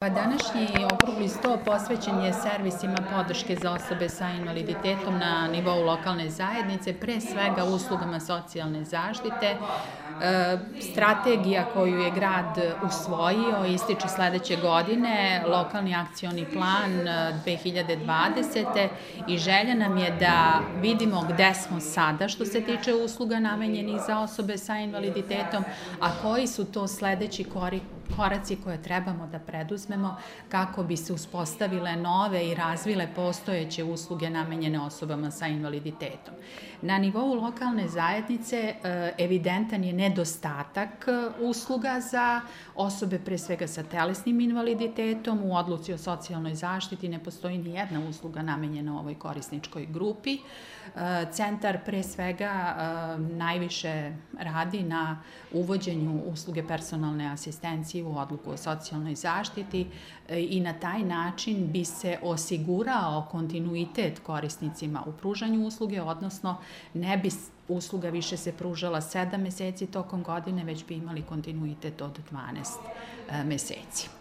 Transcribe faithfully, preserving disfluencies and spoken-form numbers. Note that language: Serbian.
Današnji okrugli sto posvećen je servisima podrške za osobe sa invaliditetom na nivou lokalne zajednice, pre svega uslugama socijalne zaštite. Strategija koju je grad usvojio ističe sledeće godine, lokalni akcioni plan dve hiljade dvadesete. i želja nam je da vidimo gde smo sada što se tiče usluga namenjenih za osobe sa invaliditetom, a koji su to sledeći koraci koje trebamo da preduzmemo kako bi se uspostavile nove i razvile postojeće usluge namenjene osobama sa invaliditetom. Na nivou lokalne zajednice evidentan je nedostatak usluga za osobe pre svega sa telesnim invaliditetom. U odluci o socijalnoj zaštiti ne postoji ni jedna usluga namenjena ovoj korisničkoj grupi. Centar pre svega najviše radi na uvođenju usluge personalne asistencije u odluku o socijalnoj zaštiti i na taj način bi se osigurao kontinuitet korisnicima u pružanju usluge, odnosno ne bi usluga više se pružala sedam meseci tokom godine, već bi imali kontinuitet od dvanaest meseci.